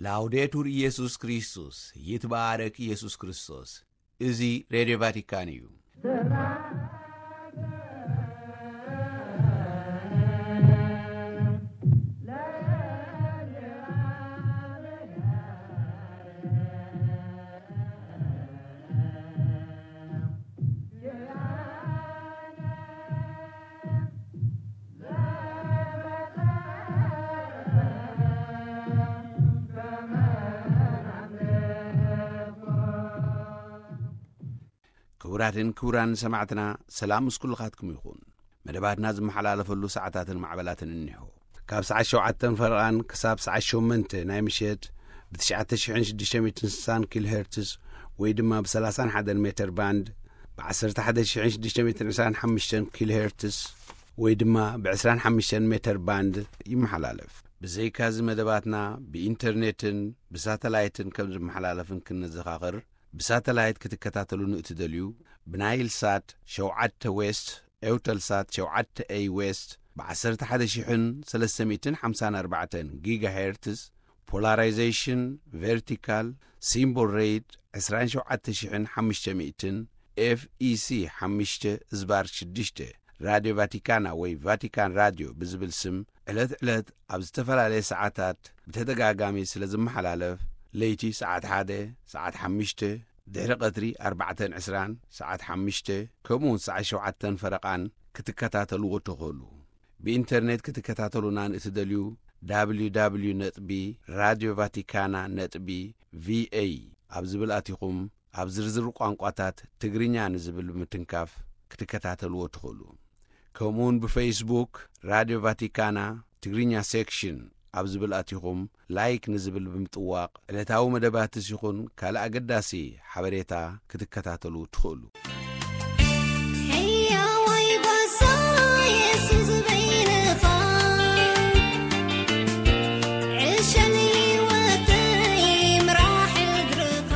ላውዴቱር ኢየሱስ ክርስቶስ፣ ይትባረክ ኢየሱስ ክርስቶስ። እዚ ሬድዮ ቫቲካን እዩ። ክቡራትን ክቡራን ሰማዕትና፣ ሰላም ምስ ኩልኻትኩም ይኹን። መደባትና ዝመሓላለፈሉ ሰዓታትን ማዕበላትን እኒሆ። ካብ ሰዓት ሸውዓተን ፈረቓን ክሳብ ሰዓት ሸሞንተ ናይ ምሸት ብ ትሽዓተ ሽሕን ሽዱሽተ ሚእትን ስሳን ኪሎ ሄርትስ ወይ ድማ ብ ሰላሳን ሓደን ሜተር ባንድ፣ ብ ዓሰርተ ሓደ ሽሕን ሽዱሽተ ሚእትን ዕስራን ሓሙሽተን ኪሎ ሄርትስ ወይ ድማ ብ ዕስራን ሓሙሽተን ሜተር ባንድ ይመሓላለፍ። ብዘይካዚ መደባትና ብኢንተርኔትን ብሳተላይትን ከም ዝመሓላለፍን ክንዘኻኽር፣ ብሳተላይት ክትከታተሉ ንእትደልዩ፣ ብናይል ሳት ሸውዓተ ዌስት፣ ኤውተል ሳት ሸውዓተ ኤይ ዌስት፣ ብ ዓሰርተ ሓደ ሽሕን ሰለስተ ሚእትን ሓምሳን ኣርባዕተን ጊጋሄርትዝ፣ ፖላራይዜሽን ቨርቲካል፣ ሲምቦል ሬት ዕስራን ሸውዓተ ሽሕን ሓሙሽተ ሚእትን፣ ኤፍ ኢ ሲ ሓሙሽተ ዝባር ሽዱሽተ፣ ራድዮ ቫቲካና ወይ ቫቲካን ራድዮ ብዝብል ስም፣ ዕለት ዕለት ኣብ ዝተፈላለየ ሰዓታት ብተደጋጋሚ ስለ ዝመሓላለፍ፣ ለይቲ ሰዓት ሓደ፣ ሰዓት ሓሙሽተ፣ ድሕሪ ቀትሪ ኣርባዕተን ዕስራን፣ ሰዓት ሓሙሽተ፣ ከምኡ እውን ሰዓት ሸውዓተን ፈረቓን ክትከታተልዎ ትኽእሉ። ብኢንተርኔት ክትከታተሉና ንእትደልዩ፣ www ነጥቢ ራድዮ ቫቲካና ነጥቢ ቪ ኤ ኣብ ዝብል ኣቲኹም፣ ኣብ ዝርዝር ቋንቋታት ትግርኛ ንዝብል ብምትንካፍ ክትከታተልዎ ትኽእሉ። ከምኡውን ብፌስቡክ ራድዮ ቫቲካና ትግርኛ ሴክሽን ኣብ ዝብል ኣቲኹም፣ ላይክ ንዝብል ብምጥዋቕ፣ ዕለታዊ መደባትስ ይኹን ካልእ ኣገዳሲ ሓበሬታ ክትከታተሉ ትኽእሉ። ሕያዋይ ጓሳ የሱስ በይንኻ፣ ዕሸል ህይወተይ ምራሕ እግርኻ።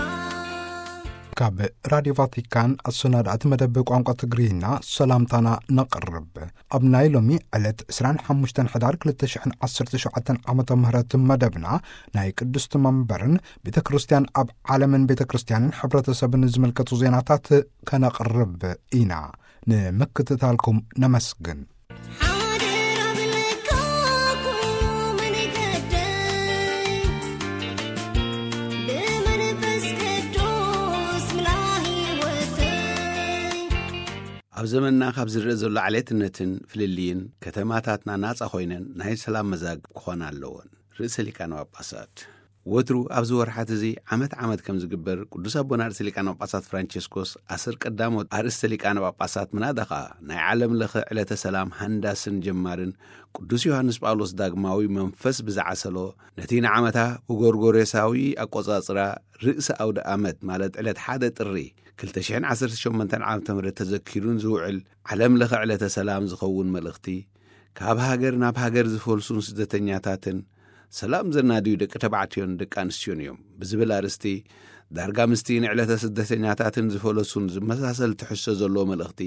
ካብ ራድዮ ቫቲካን ኣሰናዳእቲ መደብ ቋንቋ ትግርኛ ሰላምታና ነቕርብ። ኣብ ናይ ሎሚ ዕለት ዕስራን ሓሙሽተን ሕዳር ክልተ ሽሕን ዓሰርተ ሸውዓተን ዓመተ ምህረት መደብና፣ ናይ ቅድስቲ መንበርን ቤተ ክርስቲያን ኣብ ዓለምን ቤተ ክርስቲያንን ሕብረተሰብን ዝምልከቱ ዜናታት ከነቕርብ ኢና። ንምክትታልኩም ነመስግን። ሓደራ ብለካ ኩሉ መንገደይ፣ ብመንፈስ ቅዱስ ምልኣ ህይወተይ። ኣብ ዘመንና ካብ ዝረአ ዘሎ ዓሌትነትን ፍልልይን፣ ከተማታትና ናጻ ኮይነን ናይ ሰላም መዛግብ ክኾና ኣለወን። ርእሰ ሊቃነ ጳጳሳት። ወትሩ ኣብዚ ወርሓት እዚ ዓመት ዓመት ከም ዝግበር፣ ቅዱስ ኣቦና ርእሰ ሊቃነ ጳጳሳት ፍራንቸስኮስ ኣስር ቀዳሞት ኣርእስተ ሊቃነ ጳጳሳት፣ ምናዳ ኸኣ ናይ ዓለም ለኸ ዕለተ ሰላም ሃንዳስን ጀማርን ቅዱስ ዮሃንስ ጳውሎስ ዳግማዊ መንፈስ ብዝዓሰሎ፣ ነቲ ንዓመታ ብጎርጎሬሳዊ ኣቆጻጽራ ርእሰ ኣውደ ኣመት፣ ማለት ዕለት ሓደ ጥሪ ክልተ ሽሕን ዓሰርተ ሸሞንተን ዓመተ ምህረት ተዘኪሩን ዝውዕል ዓለም ለኸ ዕለተ ሰላም ዝኸውን መልእኽቲ፣ ካብ ሃገር ናብ ሃገር ዝፈልሱን ስደተኛታትን፣ ሰላም ዘናድዩ ደቂ ተባዕትዮን ደቂ ኣንስትዮን እዮም ብዝብል ኣርእስቲ፣ ዳርጋ ምስቲ ንዕለተ ስደተኛታትን ዝፈለሱን ዝመሳሰል ትሕዝቶ ዘለዎ መልእኽቲ፣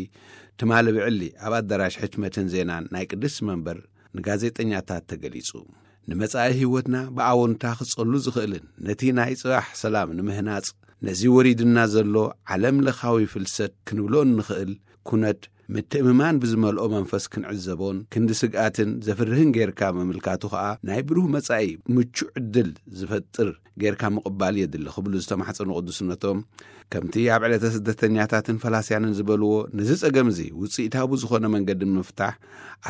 ትማሊ ብዕሊ ኣብ ኣዳራሽ ሕትመትን ዜናን ናይ ቅድስቲ መንበር ንጋዜጠኛታት ተገሊጹ። ንመጻኢ ህይወትና ብኣወንታ ክጸሉ ዝኽእልን ነቲ ናይ ጽባሕ ሰላም ንምህናጽ፣ ነዚ ወሪድና ዘሎ ዓለም ለኻዊ ፍልሰት ክንብሎ እንኽእል ኩነት፣ ምትእምማን ብዝመልኦ መንፈስ ክንዕዘቦን ክንዲ ስግኣትን ዘፍርህን ጌርካ ምምልካቱ ኸኣ፣ ናይ ብሩህ መጻኢ ምቹእ ዕድል ዝፈጥር ጌርካ ምቕባል የድሊ ክብሉ ዝተማሕጸኑ ቅዱስነቶም፣ ከምቲ ኣብ ዕለተ ስደተኛታትን ፈላስያንን ዝበልዎ፣ ነዚ ጸገም እዚ ውጽኢታዊ ዝኾነ መንገዲ ንምፍታሕ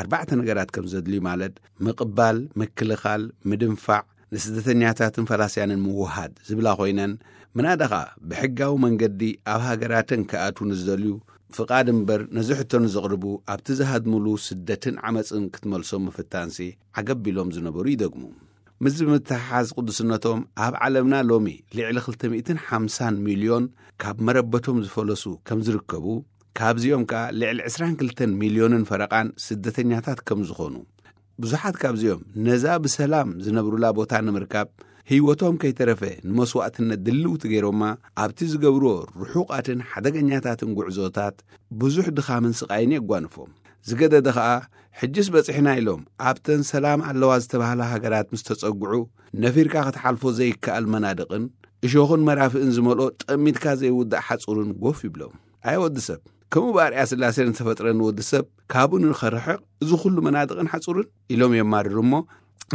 ኣርባዕተ ነገራት ከም ዘድልዩ፣ ማለት ምቕባል፣ ምክልኻል፣ ምድንፋዕ፣ ንስደተኛታትን ፈላስያንን ምውሃድ ዝብላ ኮይነን፣ ምናዳ ኸኣ ብሕጋዊ መንገዲ ኣብ ሃገራተን ክኣትዉ ንዝደልዩ ፍቓድ እምበር፣ ነዚ ሕቶ ንዘቕርቡ ኣብቲ ዝሃድምሉ ስደትን ዓመጽን ክትመልሶም ምፍታንሲ ዓገብ ኢሎም ዝነበሩ ይደግሙ። ምስዚ ብምትሕሓዝ ቅዱስነቶም፣ ኣብ ዓለምና ሎሚ ልዕሊ ክልተ ሚእትን ሓምሳን ሚልዮን ካብ መረበቶም ዝፈለሱ ከም ዝርከቡ፣ ካብዚኦም ከኣ ልዕሊ ዕስራን ክልተን ሚልዮንን ፈረቓን ስደተኛታት ከም ዝኾኑ፣ ብዙሓት ካብዚኦም ነዛ ብሰላም ዝነብሩላ ቦታ ንምርካብ ህይወቶም ከይተረፈ ንመስዋእትነት ድልውቲ ገይሮማ ኣብቲ ዝገብርዎ ርሑቓትን ሓደገኛታትን ጉዕዞታት ብዙሕ ድኻምን ስቓይን የጓንፎም። ዝገደደ ኸኣ፣ ሕጅስ በጺሕና ኢሎም ኣብተን ሰላም ኣለዋ ዝተባህላ ሃገራት ምስ ተጸግዑ፣ ነፊርካ ክትሓልፎ ዘይከኣል መናድቕን እሾኽን መራፍእን ዝመልኦ ጠሚትካ ዘይውዳእ ሓጹርን ጎፍ ይብሎም። ኣየ ወዲ ሰብ፣ ከምኡ ብኣርያ ስላሴ ንተፈጥረ ንወዲ ሰብ ካብኡ ንኸርሕቕ እዚ ኩሉ መናድቕን ሓጹርን ኢሎም የማርሩ እሞ፣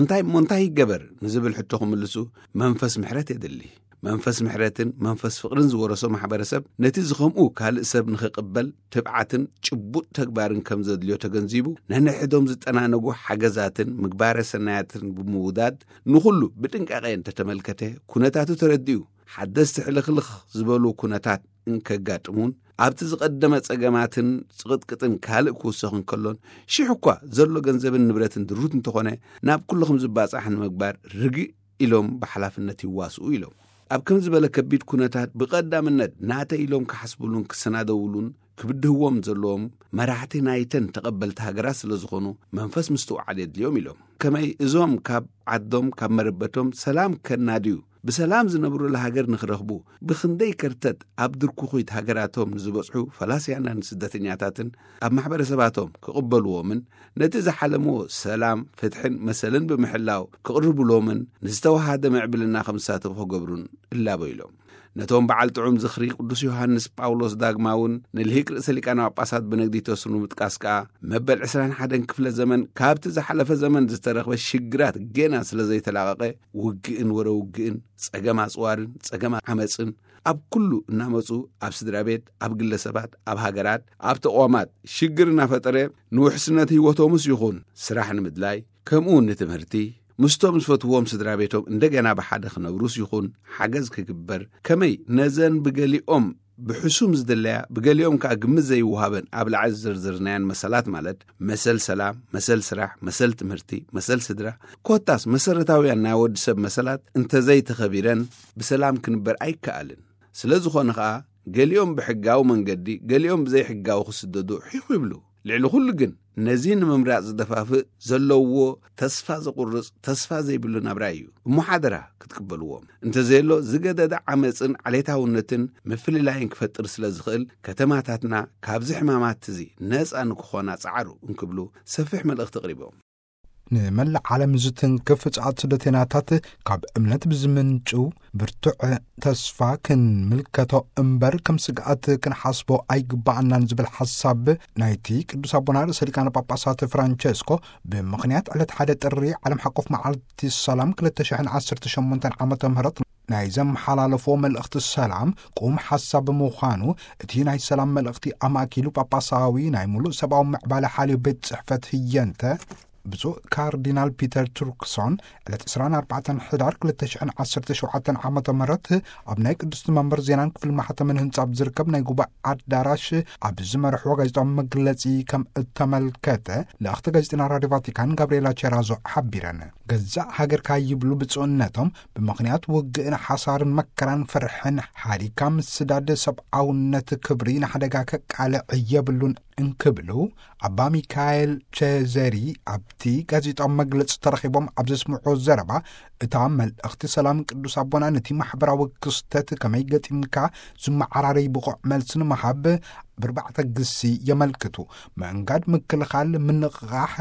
እንታይ እሞ እንታይ ይገበር ንዝብል ሕቶ ክምልሱ መንፈስ ምሕረት የድሊ። መንፈስ ምሕረትን መንፈስ ፍቕርን ዝወረሶ ማሕበረሰብ ነቲ ዝኸምኡ ካልእ ሰብ ንኽቕበል ትብዓትን ጭቡጥ ተግባርን ከም ዘድልዮ ተገንዚቡ፣ ነንሕዶም ዝጠናነጉ ሓገዛትን ምግባረ ሰናያትን ብምውዳድ ንኹሉ ብጥንቃቐ እንተተመልከተ፣ ኩነታቱ ተረዲኡ፣ ሓደስቲ ሕልኽልኽ ዝበሉ ኩነታት እንከጋጥሙን ኣብቲ ዝቐደመ ጸገማትን ጽቕጥቅጥን ካልእ ክውሰኽ እንከሎን፣ ሽሕ እኳ ዘሎ ገንዘብን ንብረትን ድሩት እንተኾነ፣ ናብ ኩሉ ከም ዝባጻሕ ንምግባር ርግእ ኢሎም ብሓላፍነት ይዋስኡ ኢሎም። ኣብ ከም ዝበለ ከቢድ ኩነታት ብቐዳምነት ናተይ ኢሎም ክሓስብሉን ክሰናደውሉን ክብድህዎም ዘለዎም መራሕቲ ናይተን ተቐበልቲ ሃገራት ስለ ዝኾኑ መንፈስ ምስትውዓል የድልዮም ኢሎም። ከመይ እዞም ካብ ዓዶም ካብ መረበቶም ሰላም ከናድዩ ብሰላም ዝነብሩላ ሃገር ንኽረኽቡ ብኽንደይ ከርተት ኣብ ድርኩኺት ሃገራቶም ንዝበጽሑ ፈላስያናን ስደተኛታትን ኣብ ማሕበረሰባቶም ክቕበልዎምን ነቲ ዝሓለምዎ ሰላም፣ ፍትሕን መሰልን ብምሕላው ክቕርብሎምን ንዝተወሃደ ምዕብልና ከም ዝሳተፉ ክገብሩን እላቦ ኢሎም። ነቶም በዓል ጥዑም ዝኽሪ ቅዱስ ዮሃንስ ጳውሎስ ዳግማውን ንልሂቅ ርእሰ ሊቃነ ጳጳሳት በነግዲቶስ ንምጥቃስ ከኣ መበል ዕስራን ሓደን ክፍለ ዘመን ካብቲ ዝሓለፈ ዘመን ዝተረኽበ ሽግራት ጌና ስለ ዘይተላቐቐ ውግእን ወረ ውግእን ጸገም ኣጽዋርን ጸገም ዓመጽን ኣብ ኩሉ እናመጹ ኣብ ስድራ ቤት፣ ኣብ ግለሰባት፣ ኣብ ሃገራት፣ ኣብ ተቋማት ሽግር እናፈጠረ ንውሕስነት ህይወቶምስ ይኹን ስራሕ ንምድላይ ከምኡ እውን ንትምህርቲ ምስቶም ዝፈትዎም ስድራ ቤቶም እንደገና ብሓደ ክነብሩስ ይኹን ሓገዝ ክግበር ከመይ ነዘን ብገሊኦም ብሕሱም ዝድለያ ብገሊኦም ከኣ ግምት ዘይወሃበን ኣብ ላዕሊ ዝዘርዘርናያን መሰላት ማለት መሰል ሰላም፣ መሰል ስራሕ፣ መሰል ትምህርቲ፣ መሰል ስድራ ኮታስ መሰረታውያን ናይ ወዲ ሰብ መሰላት እንተዘይተኸቢረን ብሰላም ክንበር ኣይከኣልን። ስለ ዝኾነ ኸኣ ገሊኦም ብሕጋዊ መንገዲ ገሊኦም ብዘይሕጋዊ ክስደዱ ሒኹ ይብሉ። ልዕሊ ኩሉ ግን ነዚ ንምምራጽ ዝደፋፍእ ዘለውዎ ተስፋ ዘቑርጽ ተስፋ ዘይብሉ ናብራ እዩ። እሞ ሓደራ ክትቅበልዎም እንተዘየሎ ዝገደደ ዓመጽን ዓሌታውነትን ምፍልላይን ክፈጥር ስለ ዝኽእል ከተማታትና ካብዚ ሕማማት እዚ ነጻ ንክኾና ጸዓሩ እንክብሉ ሰፊሕ መልእኽቲ ኣቕሪቦም። ንመላእ ዓለም ዝትንክፍ ጻዕት ስደተናታት ካብ እምነት ብዝምንጩ ብርቱዕ ተስፋ ክንምልከቶ እምበር ከም ስግኣት ክንሓስቦ ኣይግባኣናን ዝብል ሓሳብ ናይቲ ቅዱስ ኣቦና ርእሰ ሊቃነ ጳጳሳት ፍራንቸስኮ ብምኽንያት ዕለት ሓደ ጥሪ ዓለም ሓቆፍ መዓልቲ ሰላም ክልተ ሽሕን ዓሰርተ ሸሞንተን ዓመተ ምህረት ናይ ዘመሓላለፎ መልእኽቲ ሰላም ቁም ሓሳብ ብምዃኑ እቲ ናይ ሰላም መልእኽቲ ኣማእኪሉ ጳጳሳዊ ናይ ሙሉእ ሰብኣዊ ምዕባለ ሓልዮ ቤት ጽሕፈት ህየንተ ብፁዕ ካርዲናል ፒተር ቱርክሶን ዕለት ዕስራን ኣርባዕተን ሕዳር ክልተ ሽሕን ዓሰርተ ሸውዓተን ዓመተ ምህረት ኣብ ናይ ቅድስቲ መንበር ዜናን ክፍል ማሕተምን ህንጻ ኣብ ዝርከብ ናይ ጉባኤ ኣዳራሽ ኣብ ዝመርሕዎ ጋዜጣዊ መግለጺ ከም እተመልከተ ልእኽቲ ጋዜጠና ራድዮ ቫቲካን ጋብርኤላ ቸራዞ ሓቢረን። ገዛእ ሃገርካ ይብሉ ብፁዕነቶም ብምኽንያት ውግእን ሓሳርን መከራን ፍርሕን ሓዲግካ ምስዳድ ሰብኣውነት ክብሪ ንሓደጋ ከቃልዕ የብሉን እንክብሉ ኣባ ሚካኤል ቸዘሪ ኣብቲ ጋዜጣዊ መግለጺ ተረኺቦም ኣብ ዘስምዑ ዘረባ እታ መልእኽቲ ሰላም ቅዱስ ኣቦና ነቲ ማሕበራዊ ክስተት ከመይ ገጢምካ ዝመዓራረይ ብቑዕ መልሲ ንምሃብ ብርባዕተ ግሲ የመልክቱ። ምእንጋድ፣ ምክልኻል፣ ምንቕቓሕ፣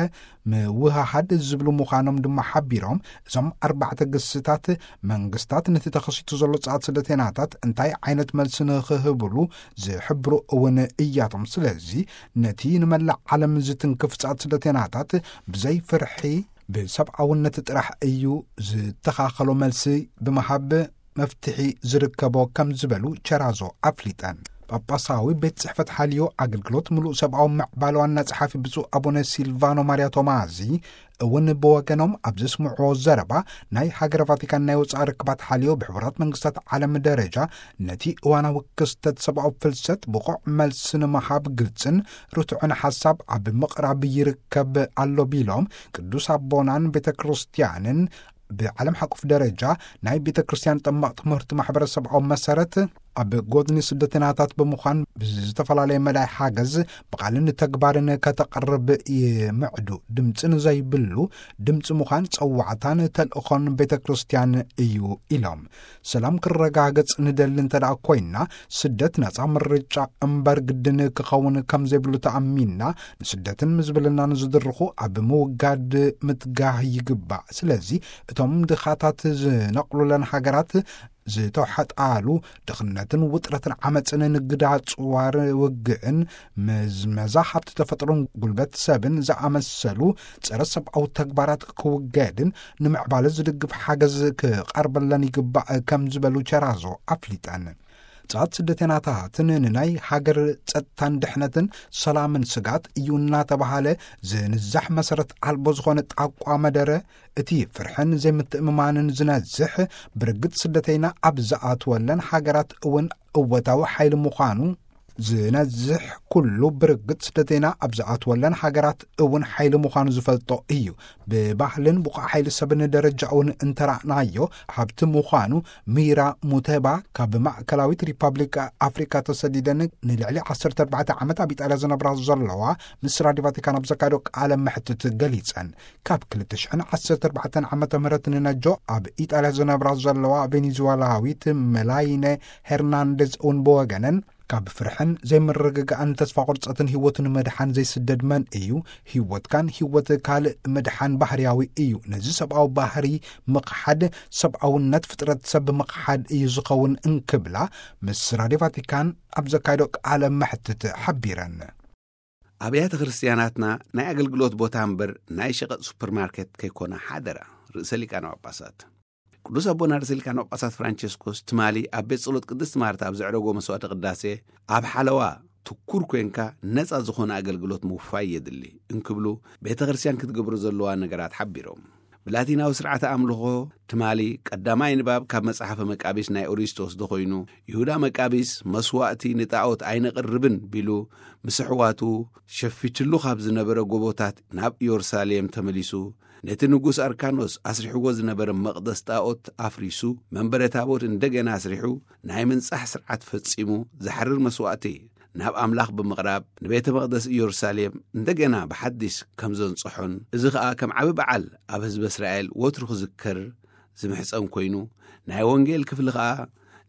ምውህሃድ ዝብሉ ምዃኖም ድማ ሓቢሮም እዞም ኣርባዕተ ግስታት መንግስታት ነቲ ተኸሲቱ ዘሎ ጻዕት ስደተናታት እንታይ ዓይነት መልሲ ንኽህብሉ ዝሕብሩ እውን እያቶም። ስለዚ ነቲ ንመላእ ዓለም ዝትንክፍ ጻዕት ስደተናታት ብዘይ ፍርሒ ብሰብኣውነት ጥራሕ እዩ ዝተኻኸሎ መልሲ ብምሃብ መፍትሒ ዝርከቦ ከም ዝበሉ ቸራዞ ኣፍሊጠን። ጳጳሳዊ ቤት ጽሕፈት ሓልዮ ኣገልግሎት ምሉእ ሰብኣዊ ምዕባለ ዋና ጸሓፊ ብፁዕ ኣቡነ ሲልቫኖ ማርያ ቶማዚ እውን ብወገኖም ኣብ ዘስምዕዎ ዘረባ ናይ ሃገረ ቫቲካን ናይ ወጻኢ ርክባት ሓልዮ ብሕቡራት መንግስታት ዓለም ደረጃ ነቲ እዋናዊ ክስተት ሰብኣዊ ፍልሰት ብቑዕ መልሲ ንምሃብ ግልጽን ርቱዕን ሓሳብ ኣብ ምቕራብ ይርከብ ኣሎ ቢሎም ቅዱስ ኣቦናን ቤተ ክርስቲያንን ብዓለም ሓቁፍ ደረጃ ናይ ቤተ ክርስቲያን ጠማቕ ትምህርቲ ማሕበረሰብኣዊ መሰረት ኣብ ጎድኒ ስደተናታት ብምዃን ብዝተፈላለየ መዳይ ሓገዝ ብቓልን ተግባርን ከተቕርብ ይምዕዱ። ድምፂ ንዘይብሉ ድምፂ ምዃን ጸዋዕታን ተልእኾን ቤተ ክርስቲያን እዩ ኢሎም። ሰላም ክረጋገጽ ንደሊ እንተ ደኣ ኮይና፣ ስደት ነጻ ምርጫ እምበር ግድን ክኸውን ከም ዘይብሉ ተኣሚንና፣ ንስደትን ምዝብልናን ዝድርኹ ኣብ ምውጋድ ምትጋህ ይግባእ። ስለዚ እቶም ድኻታት ዝነቕሉለን ሃገራት ዝተውሐጣሉ፣ ድኽነትን ውጥረትን ዓመፅን ንግዳ ጽዋር ውግእን ምዝመዛ ሃብቲ ተፈጥሮን ጉልበት ሰብን ዝኣመሰሉ ጸረ ሰብኣዊ ተግባራት ክውገድን ንምዕባለ ዝድግፍ ሓገዝ ክቐርበለን ይግባእ ከም ዝበሉ ቸራዞ ኣፍሊጠን። ጻት ስደተናታትን ንናይ ሃገር ጸጥታን ድሕነትን ሰላምን ስጋት እዩ እናተባሃለ ዝንዛሕ መሰረት ኣልቦ ዝኾነ ጣቋ መደረ፣ እቲ ፍርሕን ዘይምትእምማንን ዝነዝሕ ብርግጽ ስደተይና ኣብ ዝኣትወለን ሃገራት እውን እወታዊ ሓይሊ ምዃኑ ዝነዝሕ ኩሉ ብርግጽ ስደተይና ኣብ ዝኣትወለን ሃገራት እውን ሓይሊ ምዃኑ ዝፈልጦ እዩ። ብባህልን ብቑዕ ሓይሊ ሰብን ደረጃ እውን እንተራእናዮ ሃብቲ ምዃኑ ሚራ ሙተባ ካብ ማእከላዊት ሪፓብሊክ ኣፍሪካ ተሰዲደን ንልዕሊ ዓሰርተ ኣርባዕተ ዓመት ኣብ ኢጣልያ ዝነብራ ዘለዋ ምስ ራድዮ ቫቲካን ኣብ ዘካየዶ ቃለ መሕትት ገሊጸን። ካብ ክልተ ሽሕን ዓሰርተ ኣርባዕተን ዓመተ ምህረት ንነጆ ኣብ ኢጣልያ ዝነብራ ዘለዋ ቬኔዙዋላዊት መላይነ ሄርናንዴዝ እውን ብወገነን ካብ ፍርሕን ዘይምርግጋእን ተስፋ ቁርጸትን ህይወቱ ንምድሓን ዘይስደድ መን እዩ? ህይወትካን ህይወት ካልእ ምድሓን ባህርያዊ እዩ። ነዚ ሰብኣዊ ባህሪ ምኽሓድ ሰብኣውነት ፍጥረት ሰብ ምኽሓድ እዩ ዝኸውን እንክብላ ምስ ራድዮ ቫቲካን ኣብ ዘካየዶ ቃለ መሕትት ሓቢረን። ኣብያተ ክርስቲያናትና ናይ ኣገልግሎት ቦታ እምበር ናይ ሸቐጥ ሱፐርማርኬት ከይኮና ሓደራ። ርእሰ ሊቃነ ጳጳሳት ቅዱስ ኣቦና ርእሰ ሊቃነ ጳጳሳት ፍራንቸስኮስ ትማሊ ኣብ ቤት ጸሎት ቅድስት ማርታ ኣብ ዘዕረጎ መስዋዕተ ቅዳሴ፣ ኣብ ሓለዋ ትኩር ኮንካ ነጻ ዝኾነ ኣገልግሎት ምውፋይ የድሊ እንክብሉ፣ ቤተ ክርስቲያን ክትገብሮ ዘለዋ ነገራት ሓቢሮም። ብላቲናዊ ስርዓተ ኣምልኾ ትማሊ ቀዳማይ ንባብ ካብ መጽሓፈ መቃቢስ ናይ ኦሪት ዝተወስደ ኮይኑ፣ ይሁዳ መቃቢስ መስዋእቲ ንጣዖት ኣይነቕርብን ቢሉ ምስ ኣሕዋቱ ሸፊትሉ ካብ ዝነበረ ጎቦታት ናብ ኢየሩሳሌም ተመሊሱ፣ ነቲ ንጉስ ኣርካኖስ ኣስሪሕዎ ዝነበረ መቕደስ ጣዖት ኣፍሪሱ፣ መንበረ ታቦት እንደገና ኣስሪሑ፣ ናይ ምንጻሕ ስርዓት ፈጺሙ፣ ዝሓርር መስዋእቲ ናብ ኣምላኽ ብምቕራብ፣ ንቤተ መቕደስ ኢየሩሳሌም እንደገና ብሓዲስ ከም ዘንጽሖን፣ እዚ ኸኣ ከም ዓቢ በዓል ኣብ ህዝበ እስራኤል ወትሩ ክዝከር ዝምሕጸን ኮይኑ፣ ናይ ወንጌል ክፍሊ ኸኣ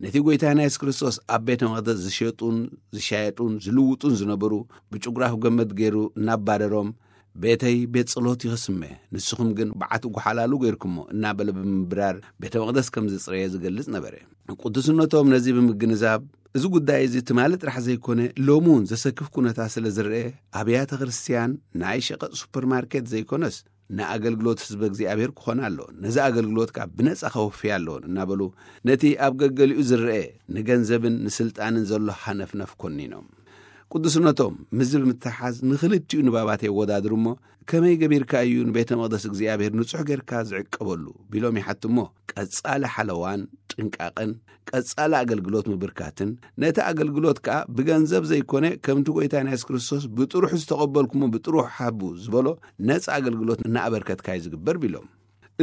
ነቲ ጐይታና የሱስ ክርስቶስ ኣብ ቤተ መቕደስ ዝሸጡን ዝሻየጡን ዝልውጡን ዝነበሩ፣ ብጭጉራፍ ገመድ ገይሩ እናባረሮም፣ "ቤተይ ቤት ጸሎት እዩ ክስመ፣ ንስኹም ግን በዓቲ ጓሓላሉ ገይርኩሞ" እናበለ ብምብራር ቤተ መቕደስ ከም ዘጽረየ ዝገልጽ ነበረ። ቅዱስነቶም ነዚ ብምግንዛብ፣ እዚ ጉዳይ እዚ ትማሊ ጥራሕ ዘይኮነ፣ ሎሚ እውን ዘሰክፍ ኩነታት ስለ ዝረአ፣ ኣብያተ ክርስቲያን ናይ ሸቐጥ ሱፐርማርኬት ዘይኮነስ፣ ንኣገልግሎት ህዝበ እግዚኣብሔር ክኾና ኣለወን። ነዚ ኣገልግሎት ከኣ ብነጻ ከወፍያ ኣለወን እናበሉ፣ ነቲ ኣብ ገገሊኡ ዝረአ ንገንዘብን ንስልጣንን ዘሎ ሃነፍነፍ ኮኒኖም። ቅዱስነቶም ምስዚ ብምትሓዝ ንኽልቲኡ ንባባት የወዳድሩ እሞ፣ "ከመይ ገቢርካ እዩ ንቤተ መቕደስ እግዚኣብሔር ንጹሕ ጌርካ ዝዕቀበሉ?" ቢሎም ይሓቱ እሞ፣ ቀጻሊ ሓለዋን ጥንቃቕን፣ ቀጻሊ ኣገልግሎት ምብርካትን፣ ነቲ ኣገልግሎት ከኣ ብገንዘብ ዘይኮነ፣ ከምቲ ጐይታና የሱስ ክርስቶስ "ብጥሩሑ ዝተቐበልኩሞ ብጥሩሑ ሃቡ" ዝበሎ፣ ነጻ ኣገልግሎት እናኣበርከትካ እዩ ዝግበር ቢሎም።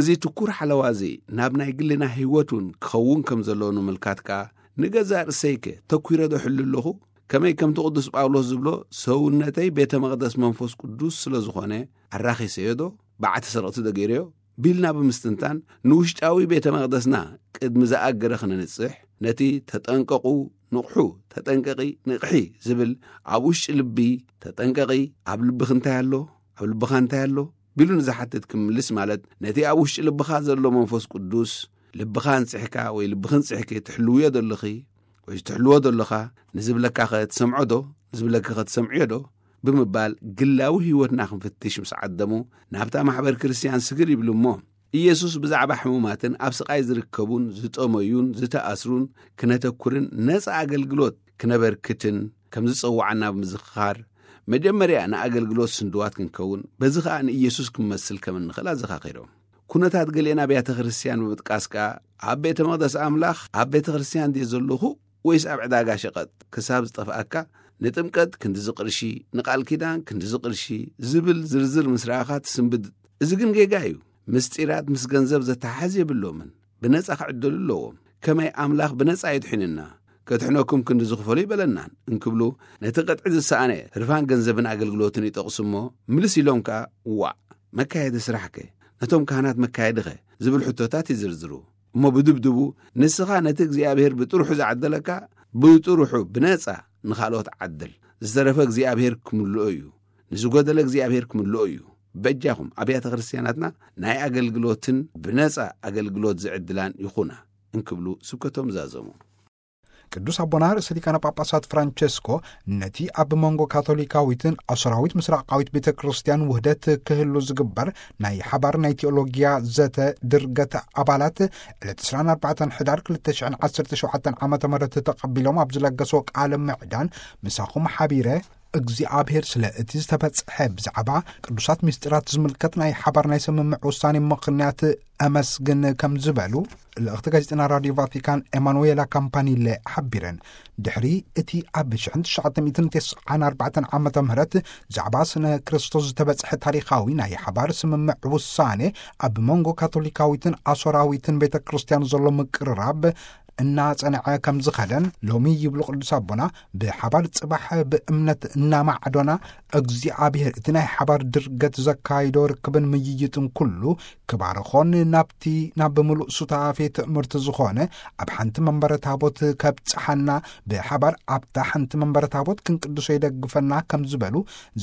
እዚ ትኩር ሓለዋ እዚ ናብ ናይ ግልና ህይወት እውን ክኸውን ከም ዘለዎ ንምልካት ከኣ፣ "ንገዛእ ርእሰይከ ተኲረ ዶ እሕሉ ኣለኹ? ከመይ ከምቲ ቅዱስ ጳውሎስ ዝብሎ፣ 'ሰውነተይ ቤተ መቕደስ መንፈስ ቅዱስ ስለ ዝኾነ፣ ኣራኺሰዮ ዶ? በዓቲ ሰረቕቲ ዶ ገይረዮ?" ቢልና ብምስትንታን፣ ንውሽጣዊ ቤተ መቕደስና ቅድሚ ዝኣገረ ክነንጽሕ፣ ነቲ "ተጠንቀቑ፣ ንቕሑ፣ ተጠንቀቒ፣ ንቕሒ" ዝብል ኣብ ውሽጢ ልቢ፣ "ተጠንቀቒ፣ ኣብ ልብኺ እንታይ ኣሎ? ኣብ ልብኻ እንታይ ኣሎ?" ቢሉ ንዝሓትት ክምልስ ማለት፣ ነቲ ኣብ ውሽጢ ልብኻ ዘሎ መንፈስ ቅዱስ፣ ልብኻ ኣንጽሕካ ወይ ልብኺ ኣንጽሕኪ ትሕልውዮ ዶ ኣለኺ? ወይ ትሕልዎ ዶ ኣለኻ? ንዝብለካኸ ትሰምዖ ዶ? ንዝብለኪኸ ትሰምዕዮ ዶ? ብምባል ግላዊ ህይወትና ክንፍትሽ ምስ ዓደሙ፣ ናብታ ማሕበር ክርስትያን ስግር ይብሉ እሞ፣ ኢየሱስ ብዛዕባ ሕሙማትን ኣብ ስቓይ ዝርከቡን ዝጠመዩን ዝተኣስሩን ክነተኩርን ነጻ ኣገልግሎት ክነበርክትን ከም ዝጸውዓና ብምዝኽኻር፣ መጀመርያ ንኣገልግሎት ስንድዋት ክንከውን፣ በዚ ኸኣ ንኢየሱስ ክንመስል ከም እንኽእል ኣዘኻኺሮም። ኩነታት ገሊአን ኣብያተ ክርስትያን ብምጥቃስ ከኣ፣ ኣብ ቤተ መቕደስ ኣምላኽ፣ ኣብ ቤተ ክርስትያን ድየ ዘለኹ ወይስ ኣብ ዕዳጋ ሸቐጥ ክሳብ ዝጠፍኣካ፣ ንጥምቀት ክንድዚ ቅርሺ፣ ንቃል ኪዳን ክንድዚ ቅርሺ ዝብል ዝርዝር ምስ ረኣኻ ትስንብድ። እዚ ግን ጌጋ እዩ። ምስጢራት ምስ ገንዘብ ዘተሓሕዝ የብሎምን። ብነጻ ክዕደሉ ኣለዎም። ከመይ ኣምላኽ ብነጻ የድሕንና? ከድሕነኩም ክንዲ ዝኽፈሉ ይበለናን እንክብሉ፣ ነቲ ቅጥዒ ዝሰኣነ ህርፋን ገንዘብን ኣገልግሎትን ይጠቕሱ እሞ፣ ምልስ ኢሎም ከኣ፣ ዋዕ፣ መካየዲ ስራሕከ? ነቶም ካህናት መካየድኸ? ዝብል ሕቶታት ይዝርዝሩ። እሞ ብድብድቡ፣ ንስኻ ነቲ እግዚኣብሔር ብጥርሑ ዝዓደለካ፣ ብጥርሑ ብነጻ ንኻልኦት ዓድል። ዝተረፈ እግዚኣብሔር ክምልኦ እዩ። ንዝጎደለ እግዚኣብሔር ክምልኦ እዩ። በጃኹም ኣብያተ ክርስቲያናትና ናይ ኣገልግሎትን ብነጻ ኣገልግሎት ዝዕድላን ይኹና እንክብሉ ስብከቶም ዛዘሙ። ቅዱስ ኣቦና ርእሰ ሊቃነ ጳጳሳት ፍራንቸስኮ ነቲ ኣብ መንጎ ካቶሊካዊትን ኣሶራዊት ምስራቃዊት ቤተ ክርስቲያን ውህደት ክህሉ ዝግበር ናይ ሓባር ናይ ቴዎሎጊያ ዘተ ድርገት ኣባላት ዕለት ዕስራን ኣርባዕተን ሕዳር ክልተ ሽሕን ዓሰርተ ሸውዓተን ዓመተ ምህረት ተቐቢሎም ኣብ ዝለገሶ ቃለ ምዕዳን፣ ምሳኹም ሓቢረ እግዚኣብሔር ስለ እቲ ዝተበጽሐ ብዛዕባ ቅዱሳት ምስጢራት ዝምልከት ናይ ሓባር ናይ ስምምዕ ውሳኔ ምኽንያት ኣመስግን ከም ዝበሉ ልእኽቲ ጋዜጠና ራዲዮ ቫቲካን ኤማኑዌላ ካምፓኒለ ሓቢረን። ድሕሪ እቲ ኣብ ሽሕን ትሽዓተ ሚእትን ተስዓን ኣርባዕተን ዓመተ ምህረት ዛዕባ ስነ ክርስቶስ ዝተበጽሐ ታሪኻዊ ናይ ሓባር ስምምዕ ውሳኔ ኣብ መንጎ ካቶሊካዊትን ኣሶራዊትን ቤተ ክርስቲያን ዘሎ ምቅርራብ እናጸንዐ ከም ዝኸደን ሎሚ ይብሉ ቅዱስ ኣቦና፣ ብሓባር ጽባሕ ብእምነት እናማዕዶና እግዚኣብሔር እቲ ናይ ሓባር ድርገት ዘካይዶ ርክብን ምይይጥን ኩሉ ክባርኾን ናብቲ ናብ ምሉእ ሱታፌ ትእምርቲ ዝኾነ ኣብ ሓንቲ መንበረ ታቦት ከብጽሓና፣ ብሓባር ኣብታ ሓንቲ መንበረ ታቦት ክንቅድሶ ይደግፈና ከም ዝበሉ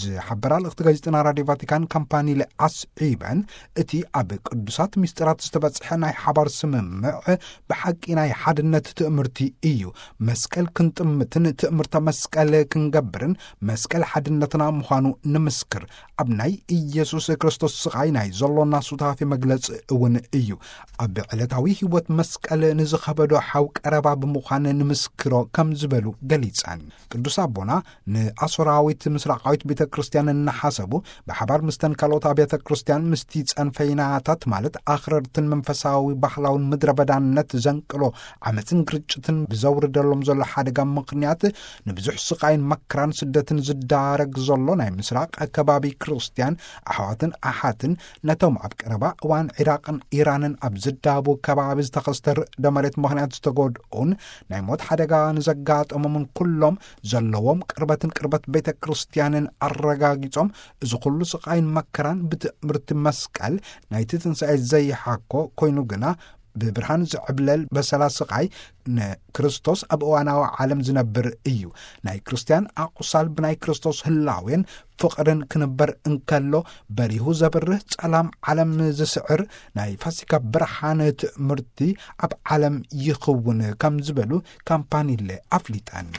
ዝሓበራ ልእኽቲ ጋዜጠና ራዲዮ ቫቲካን ካምፓኒለ ኣስዒበን፣ እቲ ኣብ ቅዱሳት ምስጢራት ዝተበጽሐ ናይ ሓባር ስምምዕ ብሓቂ ናይ ሓድነት ትእምርቲ እዩ። መስቀል ክንጥምትን ትእምርተ መስቀል ክንገብርን መስቀል ሓድነትና ምዃኑ ንምስክር። ኣብ ናይ ኢየሱስ ክርስቶስ ስቓይ ናይ ዘሎና ሱታፌ መግለጺ እውን እዩ። ኣብ ዕለታዊ ህይወት መስቀል ንዝኸበዶ ሓው ቀረባ ብምዃን ንምስክሮ ከም ዝበሉ ገሊጸን። ቅዱስ ኣቦና ንኣሶራዊት ምስራቃዊት ቤተ ክርስቲያን እናሓሰቡ፣ ብሓባር ምስተን ካልኦት ኣብያተ ክርስቲያን ምስቲ ጸንፈይናታት ማለት ኣኽረርትን መንፈሳዊ ባህላውን ምድረ በዳነት ዘንቅሎ ዓመፅን ግርጭትን ብዘውርደሎም ዘሎ ሓደጋ ምኽንያት ንብዙሕ ስቓይን መከራን ስደትን ዝዳረግ ዘሎ ናይ ምስራቅ ከባቢ ክርስቲያን ኣሕዋትን ኣሓትን፣ ነቶም ኣብ ቀረባ እዋን ዒራቅን ኢራንን ኣብ ዝዳቡ ከባቢ ዝተኸስተ ርዕደ መሬት ምኽንያት ዝተጎድኡን ናይ ሞት ሓደጋ ንዘጋጠሞምን ኩሎም ዘለዎም ቅርበትን ቅርበት ቤተ ክርስቲያንን ኣረጋጊጾም፣ እዚ ኩሉ ስቓይን መከራን ብትእምርቲ መስቀል ናይቲ ትንሳኤ ዘይሓኮ ኮይኑ ግና ብብርሃን ዝዕብለል በሰላ ስቓይ ንክርስቶስ ኣብ እዋናዊ ዓለም ዝነብር እዩ። ናይ ክርስቲያን ኣቑሳል ብናይ ክርስቶስ ህላዌን ፍቕርን ክንበር እንከሎ፣ በሪሁ ዘብርህ ጸላም ዓለም ዝስዕር ናይ ፋሲካ ብርሃን ትእምርቲ ኣብ ዓለም ይኽውን ከም ዝበሉ ካምፓኒለ ኣፍሊጠን።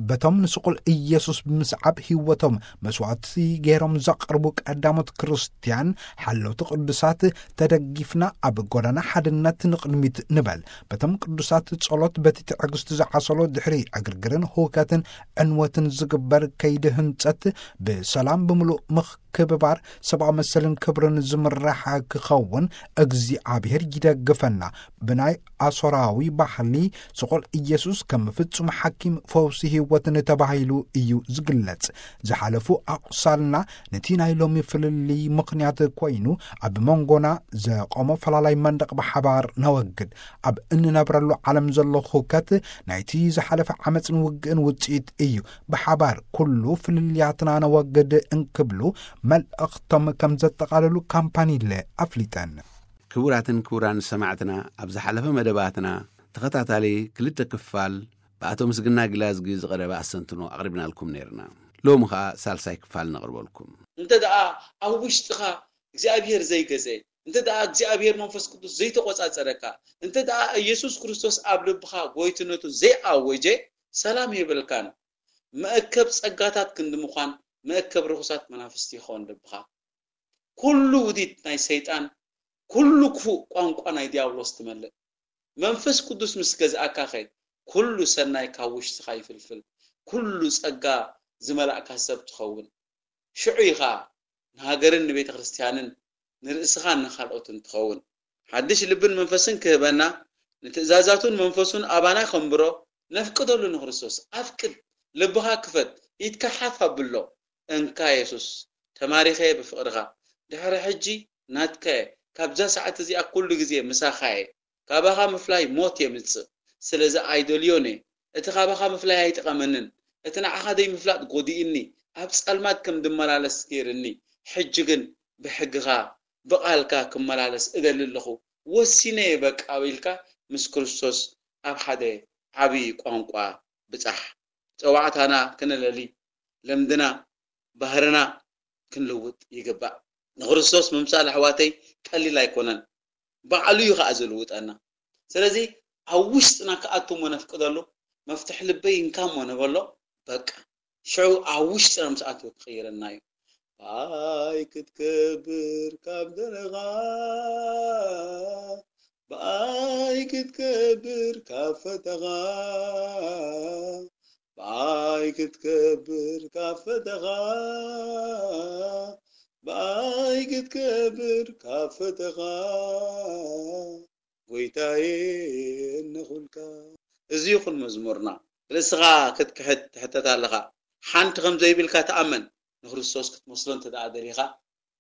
በቶም ንስቑል ኢየሱስ ብምስዓብ ህይወቶም መስዋዕቲ ገይሮም ዘቕርቡ ቀዳሞት ክርስትያን ሓለውቲ ቅዱሳት ተደጊፍና ኣብ ጎዳና ሓድነት ንቕድሚት ንበል። በቶም ቅዱሳት ጸሎት በቲ ትዕግስቲ ዝዓሰሎ ድሕሪ ዕግርግርን ህውከትን ዕንወትን ዝግበር ከይዲ ህንጸት ብሰላም ብምሉእ ምክብባር ሰብኣዊ መሰልን ክብርን ዝምራሕ ክኸውን እግዚኣብሔር ይደግፈና። ብናይ ኣሶራዊ ባህሊ ስቑል ኢየሱስ ከም ፍጹም ሓኪም ፈውሲ ህይወትን ተባሂሉ እዩ ዝግለጽ። ዝሓለፉ ኣቑሳልና ነቲ ናይ ሎሚ ፍልልይ ምኽንያት ኮይኑ ኣብ መንጎና ዘቆሞ ፈላላይ መንደቕ ብሓባር ነወግድ። ኣብ እንነብረሉ ዓለም ዘሎ ሁከት ናይቲ ዝሓለፈ ዓመፅን ውግእን ውፅኢት እዩ። ብሓባር ኩሉ ፍልልያትና ነወግድ እንክብሉ መልእኽቶም ከም ዘጠቓለሉ ካምፓኒለ ኣፍሊጠን። ክቡራትን ክቡራን ሰማዕትና፣ ኣብ ዝሓለፈ መደባትና ተኸታታሊ ክልተ ክፋል ብኣቶ ምስግና ግላዝጊ ዝቐረበ ኣስተንትኖ ኣቕሪብናልኩም ነይርና። ሎሚ ኸኣ ሳልሳይ ክፋል ነቕርበልኩም። እንተ ደኣ ኣብ ውሽጥኻ እግዚኣብሔር ዘይገዘ፣ እንተ ደኣ እግዚኣብሔር መንፈስ ቅዱስ ዘይተቖጻጸረካ፣ እንተ ደኣ ኢየሱስ ክርስቶስ ኣብ ልብኻ ጎይትነቱ ዘይኣወጀ፣ ሰላም የብልካን። መእከብ ጸጋታት ክንዲ ምዃን፣ መእከብ ርኹሳት መናፍስቲ ይኸውን ልብኻ። ኩሉ ውዲት ናይ ሰይጣን፣ ኩሉ ክፉእ ቋንቋ ናይ ዲያብሎስ ትመልእ። መንፈስ ቅዱስ ምስ ገዝኣካኸ፣ ኩሉ ሰናይ ካብ ውሽጥኻ ይፍልፍል። ኩሉ ጸጋ ዝመላእካ ሰብ ትኸውን። ሽዑ ኢኻ ንሃገርን ንቤተ ክርስቲያንን ንርእስኻን ንኻልኦትን ትኸውን። ሓድሽ ልብን መንፈስን ክህበና፣ ንትእዛዛቱን መንፈሱን ኣባና ከንብሮ ነፍቅደሉ ንክርስቶስ። ኣፍቅድ፣ ልብኻ ክፈት፣ ኢድካ ሓፍ ኣብሎ። እንካ የሱስ፣ ተማሪኸ ብፍቕርኻ። ድሕሪ ሕጂ ናትካየ፣ ካብዛ ሰዓት እዚኣ ኩሉ ግዜ ምሳኻየ። ካባኻ ምፍላይ ሞት የምጽእ። ስለዚ ኣይደልዮን እየ። እቲ ካባኻ ምፍላይ ኣይጠቐመንን፣ እቲ ንዓኻ ዘይምፍላጥ ጎዲእኒ፣ ኣብ ጸልማት ከም ድመላለስ ገይርኒ፣ ሕጂ ግን ብሕግኻ፣ ብቓልካ ክመላለስ እደሊ ኣለኹ፣ ወሲነ እየ በቃ ኢልካ ምስ ክርስቶስ ኣብ ሓደ ዓቢ ቋንቋ ብጻሕ። ጸዋዕታና ክነለሊ፣ ልምድና፣ ባህርና ክንልውጥ ይግባእ። ንክርስቶስ ምምሳል ኣሕዋተይ ቀሊል ኣይኮነን። ባዕሉ እዩ ኸዓ ዝልውጠና። ስለዚ ኣብ ውሽጥና ክኣቱ እሞ ነፍቅደሉ፣ መፍትሒ ልበይ እንካ እሞ ንበሎ፣ በቃ ሽዑ ኣብ ውሽጥና ምስ ኣተወ ክቕይረና እዩ። ባይ ክትከብር ካብ ደለኻ፣ ባይ ክትከብር ካብ ፈተኻ፣ ባይ ክትከብር ካብ ፈተኻ፣ ባይ ክትከብር ካብ ፈተኻ፣ ጎይታዬ እነኹልካ። እዚ ይኹን መዝሙርና። ርእስኻ ክትክሕድ ትሕተት ኣለኻ። ሓንቲ ከም ዘይብልካ ተኣመን። ንክርስቶስ ክትመስሎ እንተ ደኣ ደሊኻ፣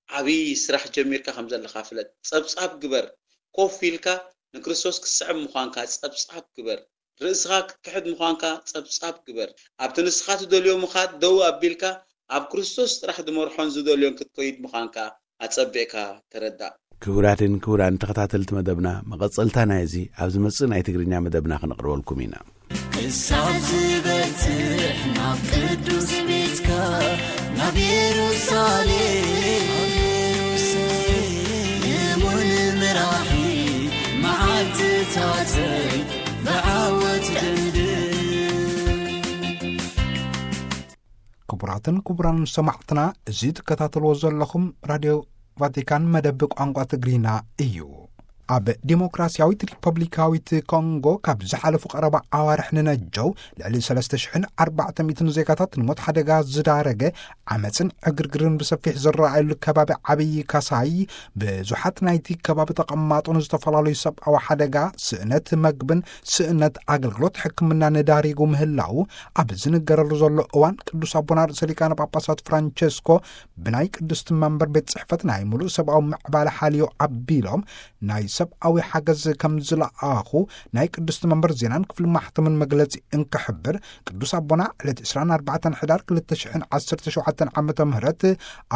ዓብዪ ስራሕ ጀሚርካ ከም ዘለኻ ፍለጥ። ጸብጻብ ግበር። ኮፍ ኢልካ ንክርስቶስ ክትስዕብ ምዃንካ ጸብጻብ ግበር። ርእስኻ ክትክሕድ ምዃንካ ጸብጻብ ግበር። ኣብቲ ንስኻ ትደልዮ ምኻድ ደው ኣቢልካ፣ ኣብ ክርስቶስ ጥራሕ ዝመርሖን ዝደልዮን ክትከይድ ምዃንካ ኣጸቢቕካ ተረዳእ። ክቡራትን ክቡራን ተኸታተልቲ መደብና፣ መቐጸልታ ናይዚ ኣብ ዝመጽእ ናይ ትግርኛ መደብና ክነቕርበልኩም ኢና። ክሳብ ዝበጽሕ ናብ ቅዱስ ቤትካ፣ ናብ የሩሳሌም፣ እሙን መራሒ፣ መዓልትታተይ ብዓወት ደምድም። ክቡራትን ክቡራን ሰማዕትና፣ እዚ ትከታተልዎ ዘለኹም ራድዮ ቫቲካን መደብ ቋንቋ ትግርኛ እዩ። ኣብ ዲሞክራሲያዊት ሪፐብሊካዊት ኮንጎ ካብ ዝሓለፉ ቀረባ ኣዋርሕ ንነጀው ልዕሊ ሰለስተ ሽሕን ኣርባዕተ ሚእትን ዜጋታት ንሞት ሓደጋ ዝዳረገ ዓመፅን ዕግርግርን ብሰፊሕ ዝረኣየሉ ከባቢ ዓብዪ ካሳይ፣ ብዙሓት ናይቲ ከባቢ ተቐማጦ ንዝተፈላለዩ ሰብኣዊ ሓደጋ፣ ስእነት መግብን ስእነት ኣገልግሎት ሕክምናን ዳሪጉ ምህላው ኣብ ዝንገረሉ ዘሎ እዋን፣ ቅዱስ ኣቦና ርእሰ ሊቃነ ጳጳሳት ፍራንቸስኮ ብናይ ቅድስቲ መንበር ቤት ጽሕፈት ናይ ምሉእ ሰብኣዊ ምዕባለ ሓልዮ ኣቢሎም ናይ ሰብኣዊ ሓገዝ ከም ዝለኣኹ ናይ ቅድስቲ መንበር ዜናን ክፍሊ ማሕተምን መግለጺ እንክሕብር፣ ቅዱስ ኣቦና ዕለት ዕስራን ኣርባዕተን ሕዳር ክልተ ሽሕን ዓሰርተ ሸውዓተን ዓመተ ምህረት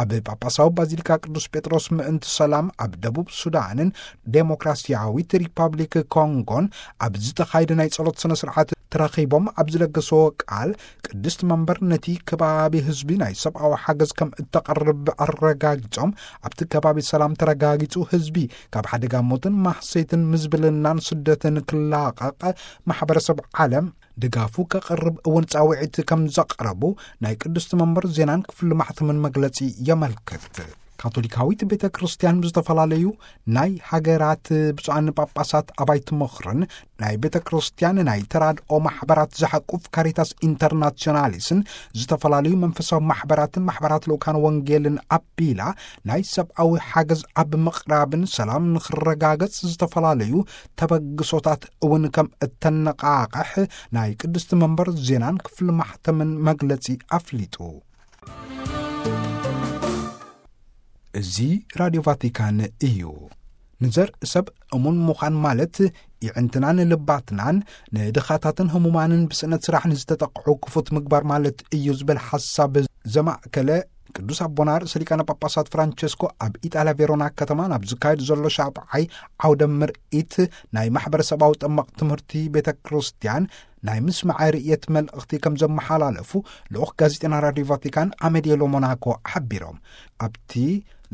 ኣብ ጳጳሳዊ ባዚሊካ ቅዱስ ጴጥሮስ ምእንቲ ሰላም ኣብ ደቡብ ሱዳንን ዴሞክራሲያዊት ሪፓብሊክ ኮንጎን ኣብ ዝተኻየደ ናይ ጸሎት ስነ ስርዓት ተረኺቦም ኣብ ዝለገስዎ ቃል፣ ቅድስቲ መንበር ነቲ ከባቢ ህዝቢ ናይ ሰብኣዊ ሓገዝ ከም እተቕርብ ኣረጋጊጾም፣ ኣብቲ ከባቢ ሰላም ተረጋጊጹ ህዝቢ ካብ ሓደጋ ሞትን ማህሰይትን ምዝብልናን ስደትን ክላቐቕ ማሕበረሰብ ዓለም ድጋፉ ከቕርብ እውን ጻውዒት ከም ዘቕረቡ ናይ ቅድስቲ መንበር ዜናን ክፍሊ ማሕተምን መግለጺ የመልክት። ካቶሊካዊት ቤተ ክርስቲያን ብዝተፈላለዩ ናይ ሃገራት ብፁዓን ጳጳሳት ኣባይቲ ምኽርን ናይ ቤተ ክርስቲያን ናይ ተራድኦ ማሕበራት ዝሓቁፍ ካሪታስ ኢንተርናሲዮናሊስን ዝተፈላለዩ መንፈሳዊ ማሕበራትን ማሕበራት ልኡካን ወንጌልን ኣቢላ ናይ ሰብኣዊ ሓገዝ ኣብ ምቕራብን ሰላም ንኽረጋገጽ ዝተፈላለዩ ተበግሶታት እውን ከም እተነቓቕሕ ናይ ቅድስቲ መንበር ዜናን ክፍሊ ማሕተምን መግለጺ ኣፍሊጡ። እዚ ራድዮ ቫቲካን እዩ። ንዘርኢ ሰብ እሙን ምዃን ማለት፣ ይዕንትናን ልባትናን ንድኻታትን ህሙማንን ብስእነት ስራሕ ንዝተጠቕዑ ክፉት ምግባር ማለት እዩ ዝብል ሓሳብ ዘማእከለ ቅዱስ ኣቦና ርእሰ ሊቃነ ጳጳሳት ፍራንቸስኮ ኣብ ኢጣልያ ቬሮና ከተማ ናብ ዝካየድ ዘሎ ሻብዓይ ዓውደ ምርኢት ናይ ማሕበረሰባዊ ጠመቕ ትምህርቲ ቤተ ክርስቲያን ናይ ምስማዐ ርእየት መልእኽቲ ከም ዘመሓላለፉ ልኡኽ ጋዜጠና ራድዮ ቫቲካን ኣመድየ ሎሞናኮ ሓቢሮም። ኣብቲ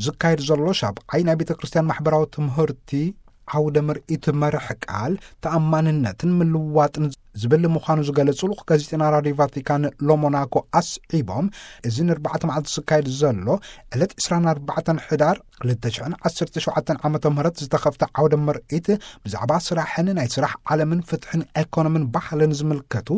ዝካየድ ዘሎ ሻብዓይ ናይ ቤተ ክርስቲያን ማሕበራዊ ትምህርቲ ዓውደ ምርኢት መርሕ ቃል ተኣማንነትን ምልዋጥን ዝብል ምዃኑ ዝገለጹ ልኡኽ ጋዜጠና ራድዮ ቫቲካን ሎሞናኮ ኣስዒቦም፣ እዚ ንኣርባዕተ መዓልቲ ዝካየድ ዘሎ ዕለት ዕስራን ኣርባዕተን ሕዳር ክልተ ሽሕን ዓሰርተ ሸውዓተን ዓመተ ምህረት ዝተኸፍተ ዓውደ ምርኢት ብዛዕባ ስራሕን ናይ ስራሕ ዓለምን ፍትሕን ኤኮኖምን ባህልን ዝምልከቱ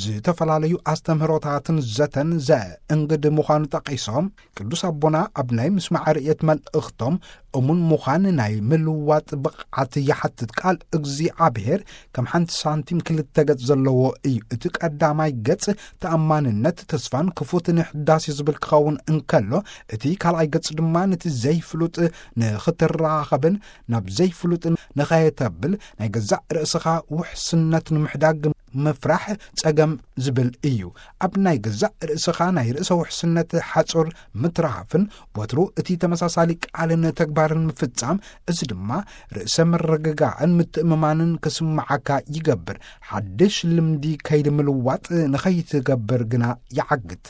ዝተፈላለዩ ኣስተምህሮታትን ዘተን ዘእንግድ ምዃኑ ጠቒሶም፣ ቅዱስ ኣቦና ኣብ ናይ ምስማዕ ርእየት መልእኽቶም እሙን ምዃን ናይ ምልዋጥ ብቕዓት ይሓትት። ቃል እግዚኣብሔር ከም ሓንቲ ሳንቲም ክልተ ገጽ ዘለዎ እዩ። እቲ ቀዳማይ ገጽ ተኣማንነት፣ ተስፋን ክፉት ንሕዳሴ ዝብል ክኸውን እንከሎ፣ እቲ ካልኣይ ገጽ ድማ ነቲ ዘይፍሉጥ ንኽትራኸብን ናብ ዘይፍሉጥ ንኸየተብል ናይ ገዛእ ርእስኻ ውሕስነት ንምሕዳግ ምፍራሕ ጸገም ዝብል እዩ። ኣብ ናይ ገዛእ ርእስኻ ናይ ርእሰ ውሕስነት ሓጹር ምትራፍን ወትሩ እቲ ተመሳሳሊ ቃልን ተግባርን ምፍጻም፣ እዚ ድማ ርእሰ ምርግጋዕን ምትእምማንን ክስምዓካ ይገብር። ሓድሽ ልምዲ ከይዲ ምልዋጥ ንኸይትገብር ግና ይዓግት።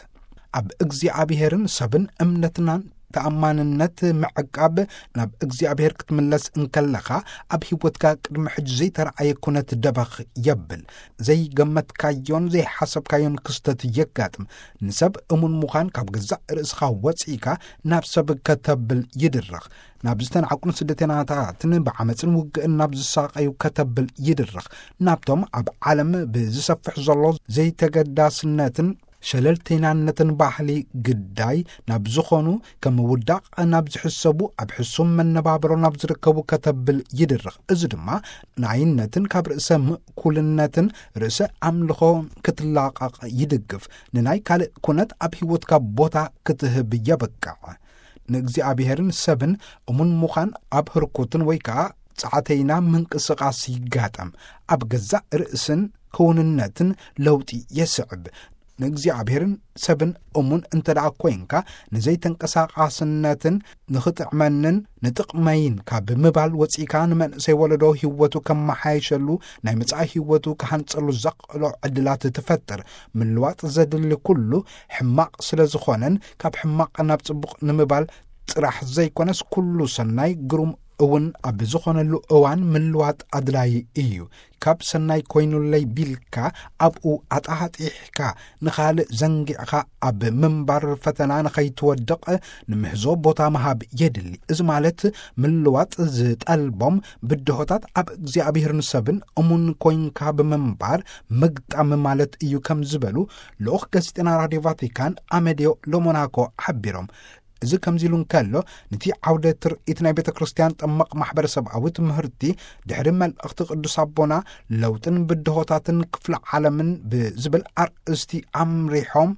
ኣብ እግዚኣብሔርን ሰብን እምነትናን ተኣማንነት ምዕቃብ፣ ናብ እግዚኣብሔር ክትምለስ እንከለኻ፣ ኣብ ህይወትካ ቅድሚ ሕጂ ዘይተረኣየ ኩነት ደበኽ የብል። ዘይገመትካዮን ዘይሓሰብካዮን ክስተት የጋጥም። ንሰብ እሙን ምዃን ካብ ገዛእ ርእስኻ ወጺእካ ናብ ሰብ ከተብል ይድርኽ። ናብ ዝተናዕቁን ስደተናታትን ብዓመፅን ውግእን ናብ ዝሳቐዩ ከተብል ይድርኽ። ናብቶም ኣብ ዓለም ብዝሰፍሕ ዘሎ ዘይተገዳስነትን ሸለልተይናነትን ባህሊ ግዳይ ናብ ዝኾኑ፣ ከም ውዳቕ ናብ ዝሕሰቡ፣ ኣብ ሕሱም መነባብሮ ናብ ዝርከቡ ከተብል ይድርኽ። እዚ ድማ ንኣይነትን ካብ ርእሰ ምእኩልነትን ርእሰ ኣምልኾ ክትላቐቕ ይድግፍ። ንናይ ካልእ ኩነት ኣብ ህይወትካ ቦታ ክትህብ የብቅዕ። ንእግዚኣብሔርን ሰብን እሙን ምዃን ኣብ ህርኩትን ወይ ከኣ ጸዓተይና ምንቅስቓስ ይጋጠም። ኣብ ገዛእ ርእስን ክውንነትን ለውጢ የስዕብ። ንእግዚኣብሔርን ሰብን እሙን እንተ ደኣ ኮይንካ፣ ንዘይተንቀሳቓስነትን ንኽጥዕመንን ንጥቕመይን ካብ ምባል ወጺእካ፣ ንመንእሰይ ወለዶ ህይወቱ ከመሓየሸሉ፣ ናይ መጻኢ ህይወቱ ክሃንጸሉ ዘኽእሎ ዕድላት ትፈጥር። ምልዋጥ ዘድሊ ኩሉ ሕማቕ ስለ ዝኾነን፣ ካብ ሕማቕ ናብ ጽቡቕ ንምባል ጥራሕ ዘይኮነስ፣ ኩሉ ሰናይ ግሩም እውን ኣብ ዝኾነሉ እዋን ምልዋጥ ኣድላዪ እዩ። ካብ ሰናይ ኮይኑለይ ቢልካ ኣብኡ ኣጣጢሕካ ንኻልእ ዘንጊዕካ ኣብ ምንባር ፈተና ንኸይትወድቕ ንምህዞ ቦታ ምሃብ የድሊ። እዚ ማለት ምልዋጥ ዝጠልቦም ብድሆታት ኣብ እግዚኣብሔርን ሰብን እሙን ኮይንካ ብምንባር ምግጣም ማለት እዩ ከም ዝበሉ ልኡኽ ጋዜጠና ራድዮ ቫቲካን ኣመዲዮ ሎሞናኮ ሓቢሮም። እዚ ከምዚ ኢሉ እንከሎ፣ ነቲ ዓውደ ትርኢት ናይ ቤተ ክርስቲያን ጠመቕ ማሕበረሰብኣዊ ትምህርቲ ድሕሪ መልእኽቲ ቅዱስ ኣቦና ለውጥን ብድሆታትን ክፍለ ዓለምን ብዝብል ኣርእስቲ ኣምሪሖም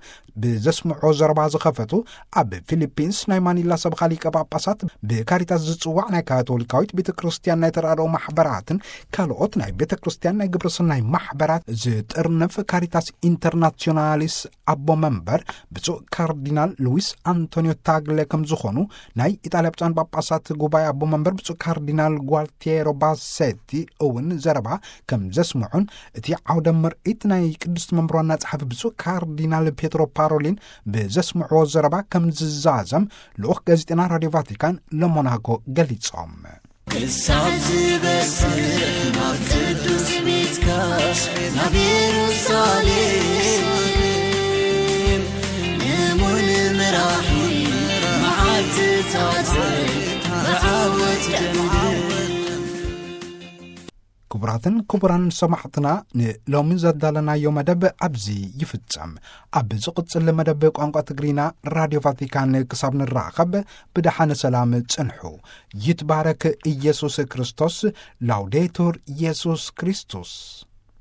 ብዘስምዖ ዘረባ ዝኸፈቱ፣ ኣብ ፊሊፒንስ ናይ ማኒላ ሰበኻ ሊቀ ጳጳሳት ብካሪታስ ዝጽዋዕ ናይ ካቶሊካዊት ቤተ ክርስቲያን ናይ ተራድኦ ማሕበራትን ካልኦት ናይ ቤተ ክርስቲያን ናይ ግብረ ሰናይ ማሕበራት ዝጥርንፍ ካሪታስ ኢንተርናሲዮናሊስ ኣቦ መንበር ብፁዕ ካርዲናል ሉዊስ ኣንቶኒዮ ታግለ ከም ዝኾኑ ናይ ኢጣልያ ብፁዓን ጳጳሳት ጉባኤ ኣቦ መንበር ብፁዕ ካርዲናል ጓልቲየሮ ባሴቲ እውን ዘረባ ከም ዘስምዑን፣ እቲ ዓውደ ምርኢት ናይ ቅድስቲ መንበር ዋና ጸሓፊ ብፁዕ ካርዲናል ፔትሮ ፓሮሊን ብዘስምዕዎ ዘረባ ከም ዝዛዘም ልኡኽ ጋዜጠና ራድዮ ቫቲካን ለሞናኮ ገሊጾም። ክሳብ ዝበጽሕ ናብ ቅዱስ ቤትካ፣ ናብ የሩሳሌም፣ ንሙን ምራሒ መዓልትታት ብዓወት ደምድም። ክቡራትን ክቡራን ሰማዕትና፣ ንሎሚ ዘዳለናዮ መደብ ኣብዚ ይፍጸም። ኣብ ዝቕጽል መደብ ቋንቋ ትግርኛ ራድዮ ቫቲካን ክሳብ ንራኸብ ብደሓነ ሰላም ጽንሑ። ይትባረክ ኢየሱስ ክርስቶስ። ላውዴቱር ኢየሱስ ክርስቶስ።